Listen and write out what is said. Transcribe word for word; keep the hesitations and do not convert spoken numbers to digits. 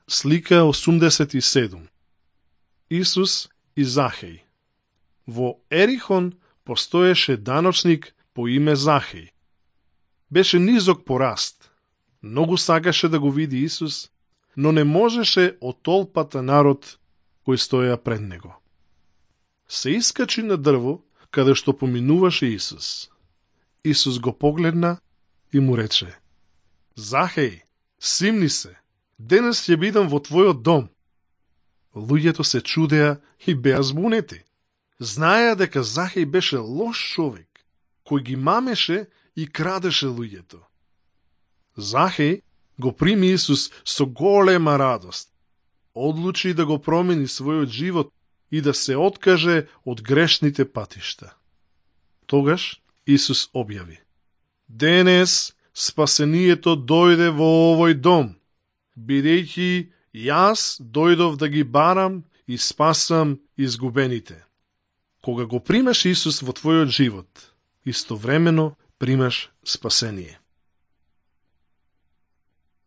Слика осумдесет и седум. Исус и Захеј. Во Ерихон постоеше даночник по име Захеј. Беше низок по раст. Многу сакаше да го види Исус, но не можеше од толпата народ кој стоја пред него. Се искачи на дрво, каде што поминуваше Исус. Исус го погледна и му рече: Захеј, симни се, денес ќе бидам во твојот дом. Луѓето се чудеа и беа збунети. Знаеа дека Захеј беше лош човек, кој ги мамеше и крадеше луѓето. Захеј го прими Исус со голема радост. Одлучи да го промени својот живот и да се откаже од грешните патишта. Тогаш Исус објави: Денес спасението дојде во овој дом, бидејќи јас дојдов да ги барам и спасам изгубените. Кога го примаш Исус во твојот живот, истовремено примаш спасение.